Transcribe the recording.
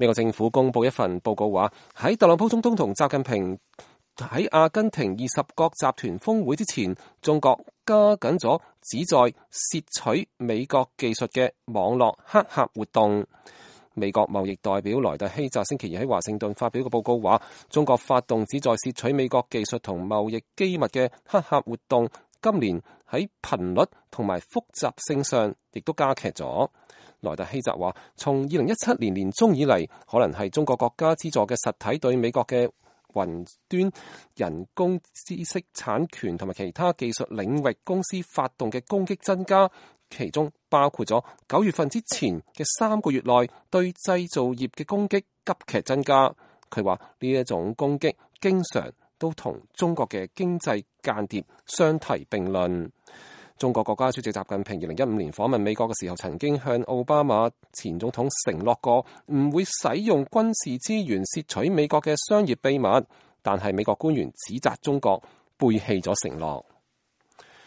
美國政府公布一份報告話，喺特朗普總統同習近平喺阿根廷20國集團峰會之前，中國加緊咗旨在竊取美國技術嘅網絡黑客活動。美國貿易代表萊特希澤星期二喺華盛頓發表嘅報告話，中國發動旨在竊取美國技術同貿易機密嘅黑客活動，今年喺頻率同埋複雜性上亦都加劇咗。萊特希澤話，從2017年年中以嚟，可能係中國國家資助嘅實體對美國嘅雲端、人工知識產權同埋其他技術領域公司發動嘅攻擊增加，其中包括咗9月份之前嘅3個月內對製造業嘅攻擊急劇增加。佢話呢一種攻擊經常都同中國嘅經濟間諜相提並論。中國國家主席習近平2015年訪問美國嘅時候，曾經向奧巴馬前總統承諾過唔會使用軍事資源竊取美國嘅商業秘密，但係美國官員指責中國背棄咗承諾。